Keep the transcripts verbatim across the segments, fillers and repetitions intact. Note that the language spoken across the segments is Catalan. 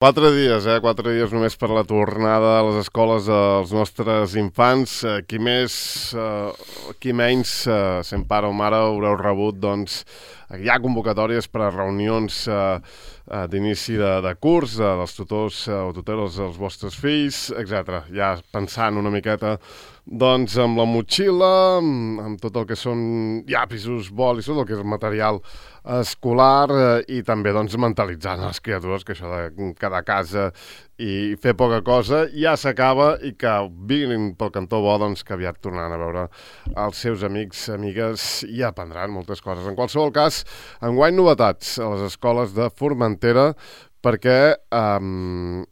Quatre dies, eh? Quatre dies només per la tornada a les escoles dels nostres infants. Eh, qui més, eh, qui menys, eh, sent pare o mare, haureu rebut, doncs, hi ha convocatòries per a reunions eh, eh, d'inici de, de curs, eh, dels tutors eh, o tuteles dels vostres fills, etcètera. Ja pensant una miqueta, doncs, amb la motxilla, amb, amb tot el que són llapisos, bolis, tot el que és material escolar eh, i també, doncs, mentalitzant les criatures que això de quedar a casa i fer poca cosa ja s'acaba i que vinguin pel cantó bo, doncs, que aviat tornaran a veure els seus amics, amigues i aprendran moltes coses. En qualsevol cas, enguany novetats a les escoles de Formentera perquè eh,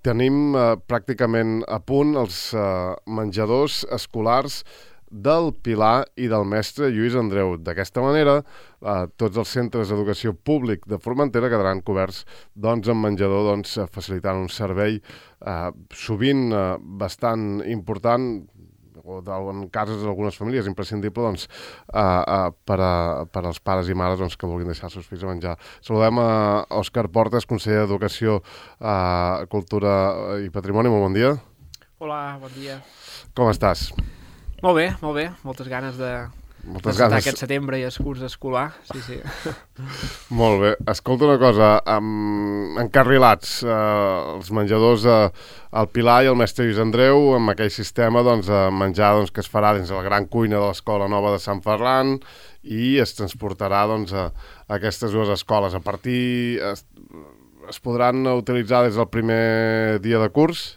tenim eh, pràcticament a punt els eh, menjadors escolars del Pilar i del mestre Lluís Andreu. D'aquesta manera, eh, tots els centres d'educació públic de Formentera quedaran coberts, doncs, amb menjador, doncs, facilitant un servei eh, sovint eh, bastant important, o en casos d'algunes famílies imprescindible, doncs, eh, eh, per, a, per als pares i mares, doncs, que vulguin deixar els seus fills a menjar. Saludem a Òscar Portes, conseller d'Educació, eh, Cultura i Patrimoni. Molt bon dia. Hola, bon dia. Com estàs? Molt bé, molt bé. Moltes ganes de Moltes de ganes. aquest setembre i el curs escolar. Sí, sí. Molt bé. Escolta una cosa, um, encarrilats uh, els menjadors uh, al Pilar i el mestre Lluís Andreu amb aquell sistema, doncs, uh, menjar, doncs, que es farà dins de la gran cuina de l'Escola Nova de Sant Ferran i es transportarà, doncs, a, a aquestes dues escoles. A partir... Es, es podran utilitzar des del primer dia de curs?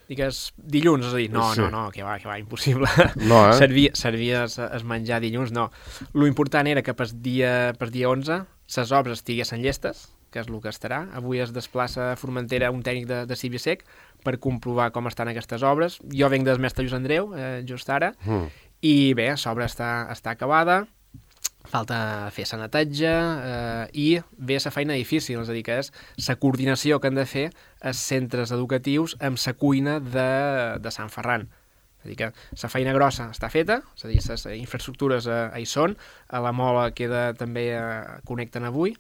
Digues dilluns, és a dir, no, Sí. no, no, que va, que va, impossible. No, eh? Servia, servia es, es menjar dilluns, no. Lo important era que per dia, per dia onze les obres estiguessin llestes, que és el que estarà. Avui es desplaça a Formentera un tècnic de, de Civisec per comprovar com estan aquestes obres. Jo venc del mestre Lluís Andreu, eh, just ara, mm. i bé, l'obra està, està acabada, falta fer la neteja eh, i ve la feina difícil, és a dir, que és la coordinació que han de fer els centres educatius amb la cuina de, de Sant Ferran. És a dir, que la feina grossa està feta, és a dir, les infraestructures eh, hi són, a la mola queda també eh, connecten avui,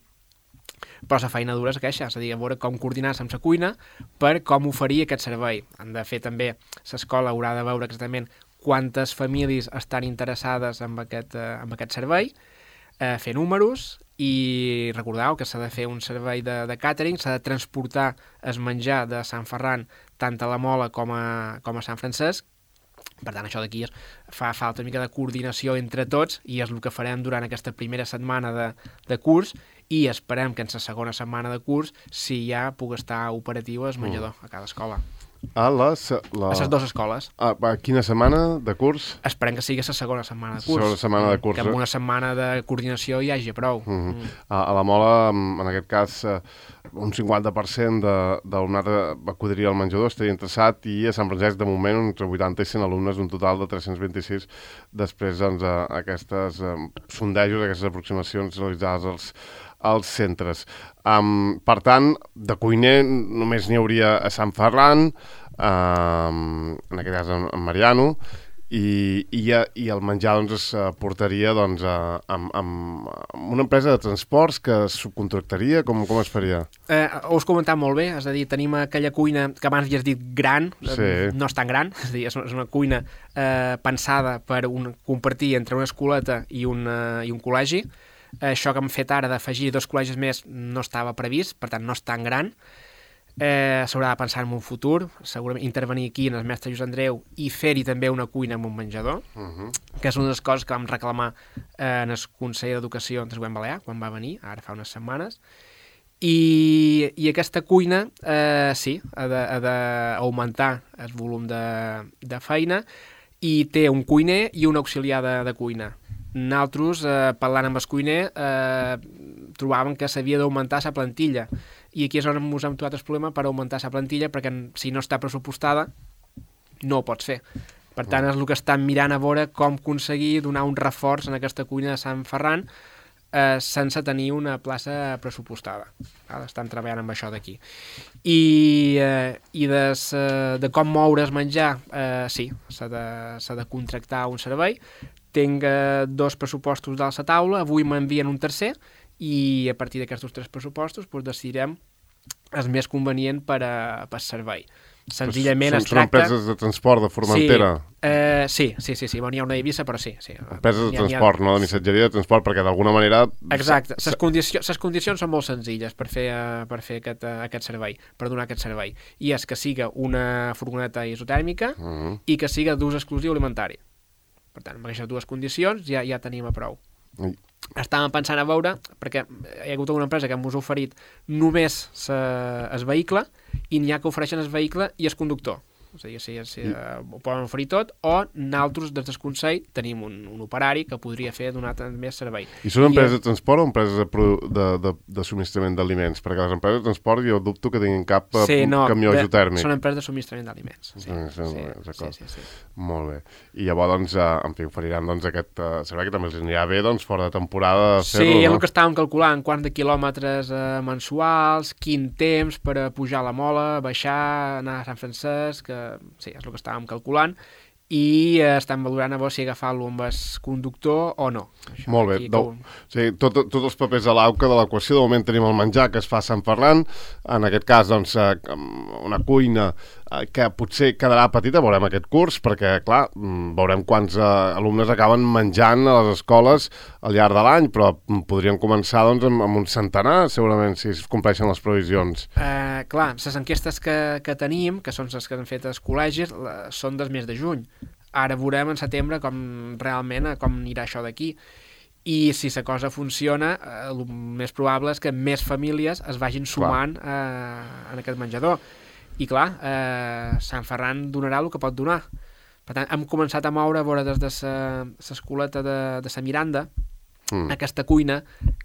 però la feina dura és aquesta, és a dir, a veure com coordinar-se amb la cuina per com oferir aquest servei. Han de fer també, l'escola haurà de veure exactament quantes famílies estan interessades en aquest, eh, en aquest servei, eh, fer números i recordeu que s'ha de fer un servei de, de càtering, s'ha de transportar el menjar de Sant Ferran tant a la Mola com a, com a Sant Francesc. Per tant, això d'aquí fa falta una mica de coordinació entre tots i és el que farem durant aquesta primera setmana de, de curs i esperem que en la segona setmana de curs sí ja pugui estar operatiu el menjador a cada escola. A les... La... A les dues escoles. A, a quina setmana de curs? Esperem que sigui la segona setmana de curs. Segona setmana de curs. Que amb una setmana de coordinació hi hagi prou. Uh -huh. mm. a, a la Mola, en aquest cas, uh, un cinquanta per cent de, d'alumnat acudiria al menjador, estaria interessat, i a Sant Francesc, de moment, entre vuitanta i cent alumnes, un total de tres-cents vint-i-sis, després, doncs, a, a aquestes um, sondejos, aquestes aproximacions realitzades als, als centres. Um, per tant, de cuiner només n'hi hauria a Sant Ferran, um, en aquest cas en, en Mariano, i, i, i el menjar, doncs, es portaria, doncs, a, amb, amb, amb una empresa de transports que es subcontractaria. Com, com es faria? Eh, ho has comentat molt bé, és a dir, tenim aquella cuina que abans ja has dit gran, sí. No és tan gran, és a dir, és una, és una cuina eh, pensada per un, compartir entre una escoleta i, una, i un col·legi. Això que hem fet ara d'afegir dos col·legis més no estava previst, per tant no és tan gran. Eh, s'haurà de pensar en un futur, segurament intervenir aquí en el mestre Lluís Andreu i fer-hi també una cuina amb un menjador, uh -huh. que és una de les coses que vam reclamar eh, en el Consell d'Educació del Govern Balear, quan va venir, ara fa unes setmanes, i, i aquesta cuina, eh, sí, ha d'augmentar el volum de, de feina i té un cuiner i un auxiliar de, de cuina. Nosaltres, eh, parlant amb el cuiner, eh, trobàvem que s'havia d'augmentar la plantilla i aquí és on ens hem trobat el problema per augmentar la plantilla, perquè si no està pressupostada no ho pots fer. Per tant, és el que estan mirant a veure com aconseguir donar un reforç en aquesta cuina de Sant Ferran eh, sense tenir una plaça pressupostada. Ara estan treballant amb això d'aquí. I, eh, i des, eh, de com moure's menjar, eh, sí, s'ha de, s'ha de contractar un servei. Tinc eh, dos pressupostos dalt la taula, avui m'envien un tercer i a partir d'aquests tres pressupostos doncs, decidirem és més convenient per a, per servei. Senzillament són, es tracta... Són empreses de transport de Formentera? Sí, eh, sí, sí, sí, sí. Bon, hi ha una d'Eivissa, però sí. sí. Empreses de ha, transport, ha... no de missatgeria de transport, perquè d'alguna manera... Exacte. Les condici condicions són molt senzilles per fer, per fer aquest, aquest servei, per donar aquest servei. I és que siga una furgoneta isotèrmica uh -huh. i que siga d'ús exclusiu alimentari. Per tant, amb aquestes dues condicions ja, ja tenim a prou. I... Estàvem pensant a veure, perquè hi ha hagut una empresa que ens ha oferit només el vehicle i n'hi ha que ofereixen el vehicle i el conductor. És a dir, si, si I... uh, ho poden oferir tot, o nosaltres, des del Consell, tenim un, un operari que podria fer donar més servei. I són empreses I, de transport o empreses de, de, de, de subministrament d'aliments? Perquè les empreses de transport jo dubto que tinguin cap sí, no, camió de, isotèrmic. Són empreses de subministrament d'aliments. Sí, sí, sí, sí, sí, sí. Molt bé. I llavors, doncs, uh, en fi, oferiran doncs, aquest uh, servei que també els anirà bé doncs, fora de temporada fer-lo, sí, no? és el que estàvem calculant, quants de quilòmetres uh, mensuals, quin temps per a pujar a la Mola, baixar, anar a Sant Francesc, que sí, és el que estàvem calculant, i eh, estem valorant a veure si agafar-lo amb el conductor o no. Això, molt bé, do, un... sí, tots tot els papers a l'auca de l'equació. De moment tenim el menjar que es fa a Sant Ferran, en aquest cas doncs, eh, una cuina eh, que potser quedarà petita, veurem aquest curs, perquè clar, veurem quants eh, alumnes acaben menjant a les escoles al llarg de l'any, però podrien començar doncs, amb, amb un centenar, segurament, si es compleixen les previsions. Uh, clar, les enquestes que, que tenim, que són les que han fet els col·legis, la, són des mes de juny. Ara veurem en setembre com realment com anirà això d'aquí. I si la cosa funciona, eh, el més probable és que més famílies es vagin sumant eh, en aquest menjador. I clar, eh, Sant Ferran donarà el que pot donar. Per tant, hem començat a moure a veure des de l'escoleta de, de sa Miranda mm. aquesta cuina,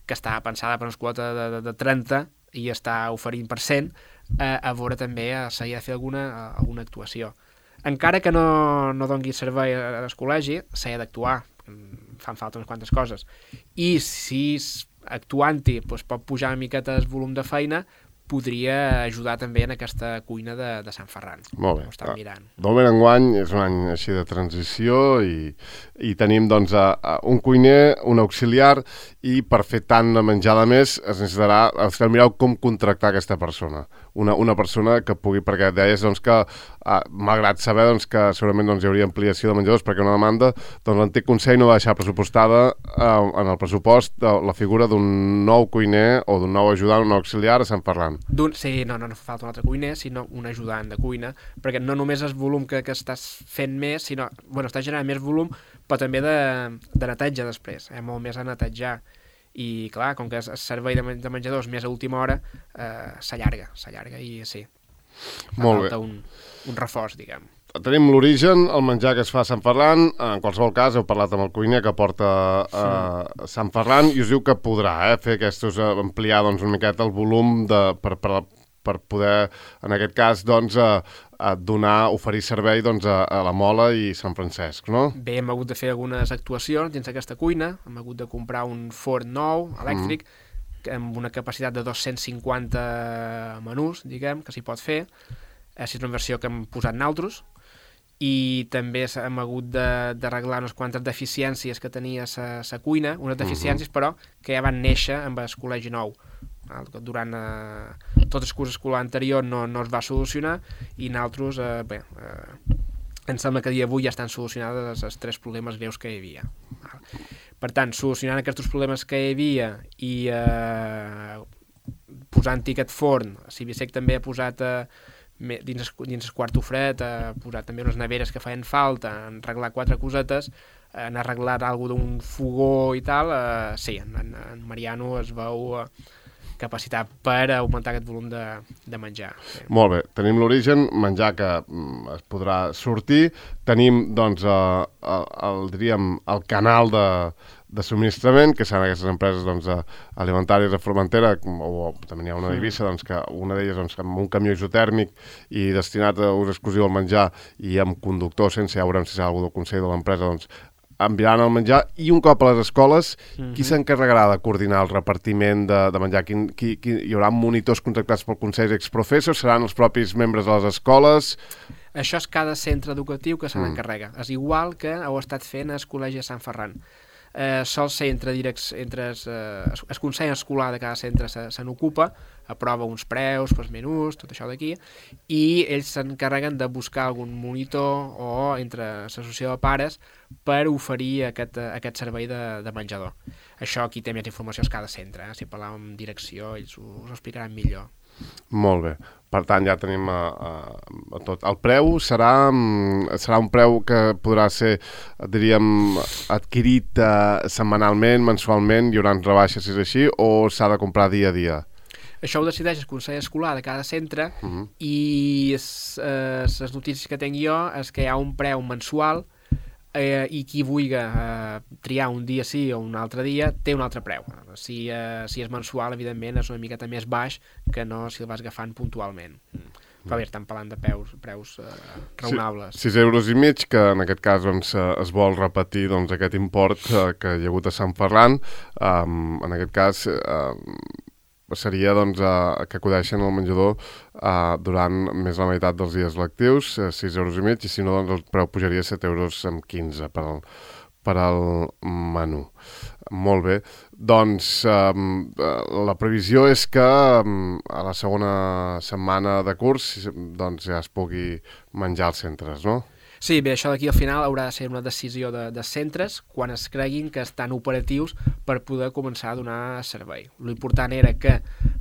que està pensada per una escoleta de, de, de trenta i està oferint per cent, eh, a veure també eh, s'hi ha de fer alguna, alguna actuació. Encara que no, no doni servei al col·legi, s'ha d'actuar, fan falta unes quantes coses. I si actuant-hi doncs, pot pujar una miqueta el volum de feina, podria ajudar també en aquesta cuina de, de Sant Ferran. Molt bé. Ho estan mirant. De moment enguany és un any així de transició i, i tenim doncs a, a un cuiner, un auxiliar, i per fer tant de menjada més es necessitarà, es cal mirar com contractar aquesta persona. Una, una persona que pugui, perquè deies doncs, que ah, malgrat saber doncs, que segurament doncs, hi hauria ampliació de menjadors perquè una demanda, doncs l'antic Consell no va deixar pressupostada eh, en el pressupost de, la figura d'un nou cuiner o d'un nou ajudant, un nou auxiliar a Sant Ferran. Sí, no, no, no fa falta un altre cuiner, sinó un ajudant de cuina, perquè no només és volum que, que estàs fent més, sinó, bueno, estàs generant més volum, però també de, de neteja després, eh, molt més a netejar. I clar, com que el servei de, de menjadors més a última hora eh, s'allarga, s'allarga i sí, fa molt falta bé. un, un reforç, diguem. Tenim l'origen, el menjar que es fa a Sant Ferran. En qualsevol cas, heu parlat amb el cuiner que porta a sí. Sant Ferran i us diu que podrà eh, fer aquests, ampliar doncs, una miqueta el volum de, per, per, per poder, en aquest cas, doncs, a, a donar, oferir servei doncs, a, a la Mola i Sant Francesc, no? Bé, hem hagut de fer algunes actuacions dins aquesta cuina, hem hagut de comprar un forn nou, elèctric, mm. amb una capacitat de dos-cents cinquanta menús, diguem, que s'hi pot fer. És una versió que hem posat nosaltres, i també hem hagut d'arreglar unes quantes deficiències que tenia la cuina, unes deficiències, uh-huh. però, que ja van néixer amb el col·legi nou. Durant eh, tot el curs escolar anterior no, no es va solucionar, i nosaltres, eh, bé, eh, em sembla que a dia d'avui ja estan solucionats els, els tres problemes greus que hi havia. Per tant, solucionant aquests problemes que hi havia i eh, posant-hi aquest forn, Cibisec també ha posat... Eh, dins el, dins el quarto fred, ha posat també unes neveres que feien falta, han arreglat quatre cosetes, han arreglat alguna d'un fogó i tal, eh, sí, en, en Mariano es veu eh, capacitat per augmentar aquest volum de, de menjar. Sí. Molt bé, tenim l'origen, menjar que mm, es podrà sortir, tenim doncs eh, el, el, diríem, el canal de de subministrament, que seran aquestes empreses doncs, alimentàries de Formentera, o, o també n'hi ha una d'Eivissa, doncs, que una d'elles doncs, amb un camió isotèrmic i destinat a ús exclusiu al menjar i amb conductor, sense ja veurem si serà algú del Consell de l'empresa, doncs, enviaran el menjar, i un cop a les escoles, mm-hmm. qui s'encarregarà de coordinar el repartiment de, de menjar? Quin, qui, qui, hi haurà monitors contractats pel Consell Exprofessors? Seran els propis membres de les escoles? Això és cada centre educatiu que se n'encarrega. Mm. És igual que heu estat fent al Col·legi de Sant Ferran. eh, sol ser entre, directs, entre es, eh, el consell escolar de cada centre se, se n'ocupa, aprova uns preus pels menús, tot això d'aquí, i ells s'encarreguen de buscar algun monitor o entre l'associació de pares per oferir aquest, aquest servei de, de menjador. Això aquí té més informació a cada centre, eh? Si parlàvem amb direcció ells us ho explicaran millor. Molt bé. Per tant, ja tenim a, a, a tot. El preu serà, serà un preu que podrà ser, diríem, adquirit uh, setmanalment, mensualment, hi haurà rebaixes si és així, o s'ha de comprar dia a dia? Això ho decideix el consell escolar de cada centre uh-huh. i les eh, notícies que tinc jo és que hi ha un preu mensual eh, i qui vulgui eh, triar un dia sí o un altre dia té un altre preu. Si, eh, si és mensual, evidentment, és una miqueta més baix que no si el vas agafant puntualment. Però bé, estem parlant de preus, preus eh, raonables. sis euros i mig, que en aquest cas doncs, es vol repetir doncs, aquest import eh, que hi ha hagut a Sant Ferran. Um, en aquest cas eh, seria doncs, eh, que acudeixen al menjador eh, durant més de la meitat dels dies lectius, eh, sis euros i mig, i si no, doncs, el preu pujaria a set euros amb quinze per al, per al menú. Molt bé. Doncs eh, la previsió és que eh, a la segona setmana de curs doncs, ja es pugui menjar als centres, no? Sí, bé, això d'aquí al final haurà de ser una decisió de, de centres quan es creguin que estan operatius per poder començar a donar servei. L'important era que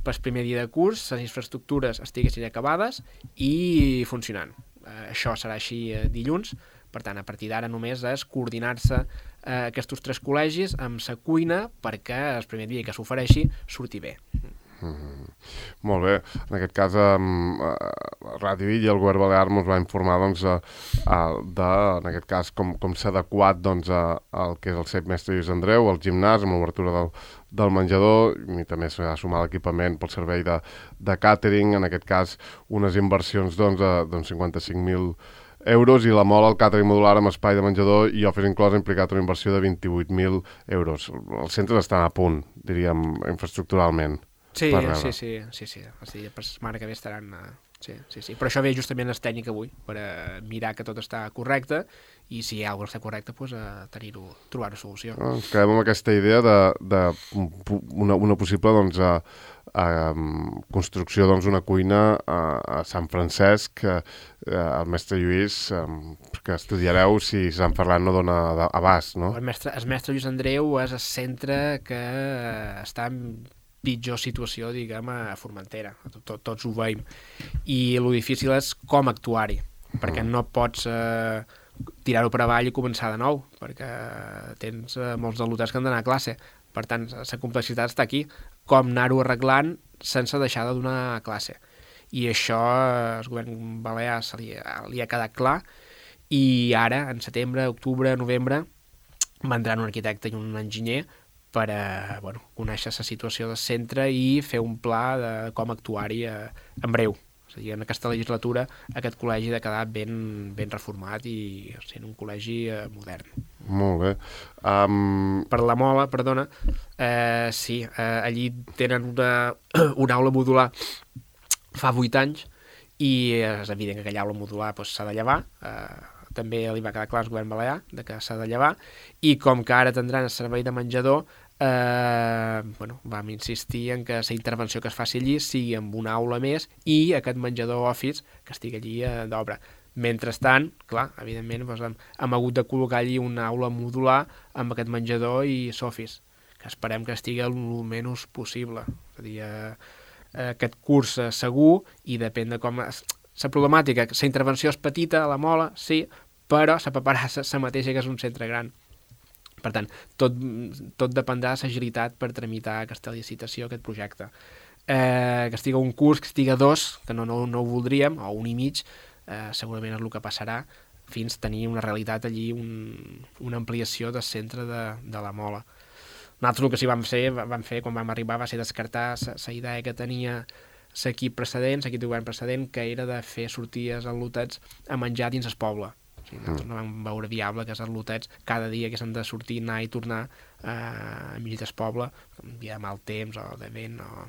pel primer dia de curs les infraestructures estiguessin acabades i funcionant. Eh, això serà així eh, dilluns, per tant, a partir d'ara només és coordinar-se eh, aquests tres col·legis amb la cuina perquè el primer dia que s'ofereixi surti bé. Mm-hmm. Molt bé. En aquest cas, eh, Ràdio Illa i el Govern Balear ens va informar doncs, eh, de, en aquest cas, com, com s'ha adequat doncs, a, al que és el C E P Mestre Lluís Andreu, el gimnàs, amb l'obertura del, del menjador, i també s'ha de sumar l'equipament pel servei de, de càtering, en aquest cas, unes inversions doncs, de doncs, cinquanta-cinc mil euros, i la mola, el càtering modular amb espai de menjador i office inclòs ha implicat una inversió de vint-i-vuit mil euros. Els centres estan a punt, diríem, infraestructuralment. Sí, sí, sí, sí, sí. O sigui, per setmana que ve estaran... Uh, sí, sí, sí. Però això ve justament el tècnic avui, per uh, mirar que tot està correcte, i si hi ha alguna cosa està correcte, doncs, uh, tenir-ho, trobar una solució. Ah, ens quedem amb aquesta idea de, de una, una possible doncs, a, a, construcció d'una doncs, cuina a, a Sant Francesc, a, al mestre Lluís, a, que estudiareu si Sant Ferran no dona abast, no? El mestre, el mestre Lluís Andreu és el centre que uh, està en pitjor situació, diguem, a Formentera. Tot, tots ho veiem. I el difícil és com actuar-hi, perquè no pots eh, tirar-ho per avall i començar de nou, perquè tens eh, molts alumnes que han d'anar a classe. Per tant, la complexitat està aquí. Com anar-ho arreglant sense deixar de donar classe. I això el govern balear se li, li ha quedat clar, i ara, en setembre, octubre, novembre, vendran un arquitecte i un enginyer per a, bueno, conèixer la situació del centre i fer un pla de com actuar-hi eh, en breu. És a dir, en aquesta legislatura aquest col·legi ha de quedar ben, ben reformat i sent un col·legi eh, modern. Molt bé. Um... Per la Mola, perdona, eh, sí, eh, allí tenen una, una aula modular fa vuit anys i és evident que aquella aula modular doncs, s'ha de llevar, eh, també li va quedar clar al govern balear de que s'ha de llevar, i com que ara tindran el servei de menjador, eh, bueno, vam insistir en que la intervenció que es faci allí sigui amb una aula més i aquest menjador office que estigui allí eh, d'obra. Mentrestant, clar, evidentment doncs, hem, hem hagut de col·locar allí una aula modular amb aquest menjador i l'office, que esperem que estigui el menys possible. És a dir, eh, aquest curs eh, segur, i depèn de com... La problemàtica, la intervenció és petita a la Mola, sí, però la paperassa la mateixa que és un centre gran. Per tant, tot, tot dependrà de l'agilitat per tramitar aquesta licitació, aquest projecte. Eh, que estigui un curs, que estigui dos, que no, no, no ho voldríem, o un i mig, eh, segurament és el que passarà, fins a tenir una realitat allí, un, una ampliació del centre de, de la Mola. Nosaltres el que sí vam fer, vam fer quan vam arribar va ser descartar la idea que tenia l'equip precedent, l'equip de govern precedent, que era de fer sorties als lotets a menjar dins el poble. O sigui, nosaltres no vam veure viable que els lotets cada dia que s'han de sortir, anar i tornar eh, a mig del poble, un dia de mal temps o de vent, o...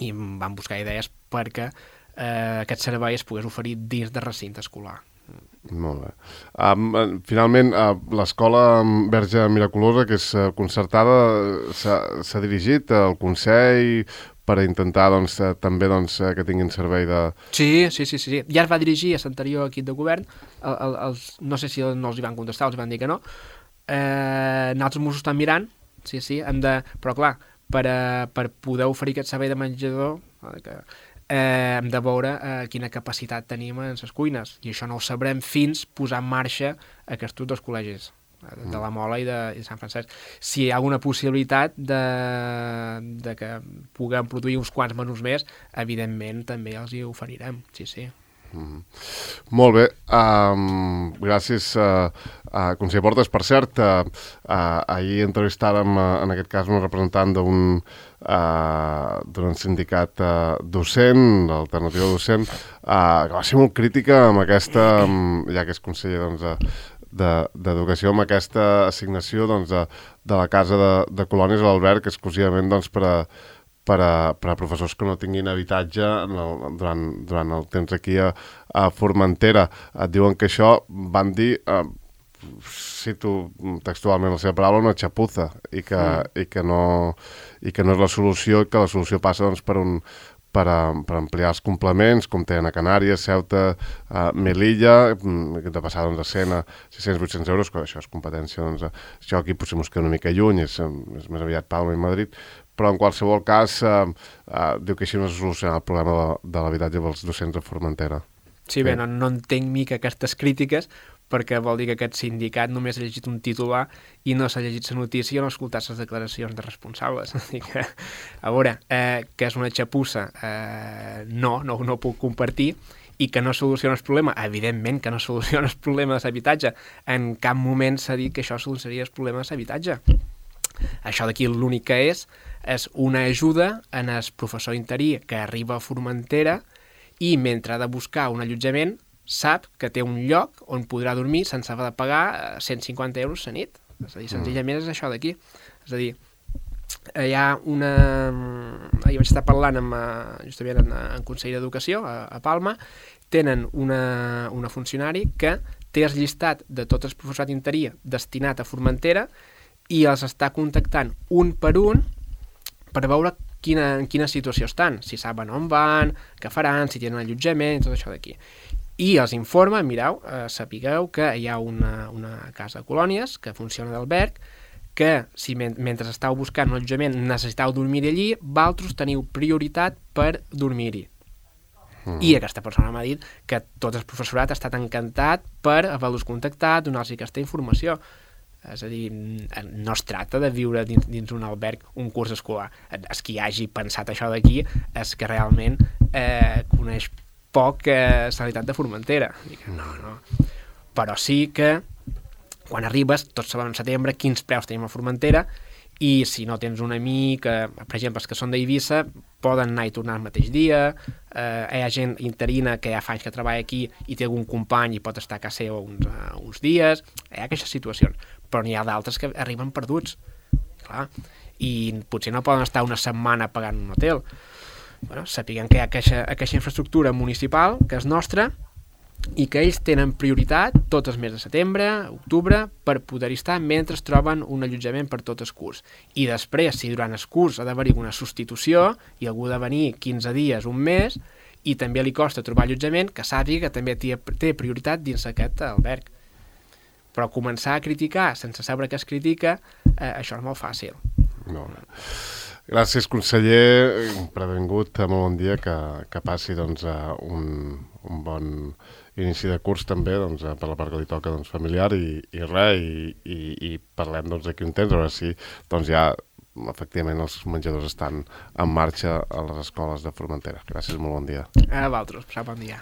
i vam buscar idees perquè eh, aquest servei es pogués oferir dins del recinte escolar. Molt bé. Um, finalment, uh, l'escola Verge Miraculosa, que és uh, concertada, s'ha dirigit al Consell per a intentar doncs, uh, també doncs, uh, que tinguin servei de... Sí, sí, sí, sí. Ja es va dirigir a l'anterior equip de govern, el, el, els, no sé si no els hi van contestar, els van dir que no. Eh, nosaltres mos ho estan mirant, sí, sí, hem de... Però clar, per, a, per poder oferir aquest servei de menjador... Que, Eh, hem de veure eh, quina capacitat tenim en les cuines, i això no ho sabrem fins posar en marxa aquests dos col·legis, de, de la Mola i de, i de Sant Francesc. Si hi ha alguna possibilitat de, de que puguem produir uns quants menús més, evidentment també els hi oferirem, sí, sí. Mm. Molt bé, um, gràcies uh, uh, conseller Portes. Per cert, uh, uh, ahir entrevistàrem uh, en aquest cas un representant d'un uh, d'un sindicat uh, docent, d'alternativa docent, uh, que va ser molt crítica amb aquesta, um, ja que és conseller doncs, uh, d'Educació, amb aquesta assignació doncs, de, de la Casa de, de Colònies a l'Alberg, exclusivament doncs, per a Per a, per a professors que no tinguin habitatge en el, durant, durant el temps aquí a, a Formentera. Et diuen que això, van dir, eh, cito textualment la seva paraula, una xapuza, i que, mm. i que, no, i que no és la solució, i que la solució passa doncs, per, un, per, a, per ampliar els complements, com tenen a Canàries, Ceuta, a Melilla, de passar doncs, a cent a sis-cents vuit-cents euros, que això és competència, doncs, això aquí potser mos queda una mica lluny, és, és més aviat Palma i Madrid, però en qualsevol cas eh, eh, diu que així no es soluciona el problema de, de l'habitatge dels docents a Formentera. Sí, bé, no, no entenc mica aquestes crítiques, perquè vol dir que aquest sindicat només ha llegit un titular i no s'ha llegit la notícia i no ha escoltat les declaracions de responsables. Que, a veure, eh, que és una xapussa, eh, no, no, no ho puc compartir, i que no soluciona el problema. Evidentment que no soluciona el problema de l'habitatge. En cap moment s'ha dit que això solucionaria el problema de l'habitatge. Això d'aquí l'únic que és és una ajuda en el professor interí que arriba a Formentera i mentre ha de buscar un allotjament sap que té un lloc on podrà dormir sense haver de pagar cent cinquanta euros la nit. És a dir, senzillament és això d'aquí. És a dir, hi ha una... Ahir vaig estar parlant amb, justament en, en Consell d'Educació a, a Palma, tenen una, una funcionari que té el llistat de tot el professorat interí destinat a Formentera i els està contactant un per un per veure quina, en quina situació estan, si saben on van, què faran, si tenen allotjament, tot això d'aquí. I els informa, mireu, eh, sapigueu que hi ha una, una casa de colònies que funciona d'alberg, que si men mentre estàu buscant un allotjament necessitau dormir allí, vosaltres teniu prioritat per dormir-hi. Mm. I aquesta persona m'ha dit que tot el professorat ha estat encantat per haver-los contactat, donar-los aquesta informació. És a dir, no es tracta de viure dins, dins un alberg un curs escolar. El qui hagi pensat això d'aquí és que realment eh, coneix poc eh, la realitat de Formentera. Dic, no, no. Però sí que quan arribes, tots sabem en setembre quins preus tenim a Formentera i si no tens un amic, eh, per exemple, els que són d'Eivissa, poden anar i tornar el mateix dia, eh, hi ha gent interina que ja fa anys que treballa aquí i té algun company i pot estar a casa seva uns, uh, uns dies, hi ha aquestes situacions. Però n'hi ha d'altres que arriben perduts, clar, i potser no poden estar una setmana pagant un hotel. Bueno, sapiguem que hi ha aquesta, aquesta infraestructura municipal, que és nostra, i que ells tenen prioritat tots els mesos de setembre, octubre, per poder-hi estar mentre es troben un allotjament per tot el curs. I després, si durant el curs ha d'haver-hi una substitució i algú ha de venir quinze dies, un mes, i també li costa trobar allotjament, que sàpiga que també té, té prioritat dins aquest alberg. Però començar a criticar sense saber què es critica, eh, això és molt fàcil. No. Gràcies, conseller, per haver vingut, molt bon dia, que, que passi doncs, un, un bon inici de curs també, doncs, per la part que li toca doncs, familiar i, i res, i, i, i parlem doncs, d'aquí un temps, a veure si doncs, ja efectivament els menjadors estan en marxa a les escoles de Formentera. Gràcies, molt bon dia. A vosaltres, passeu bon dia.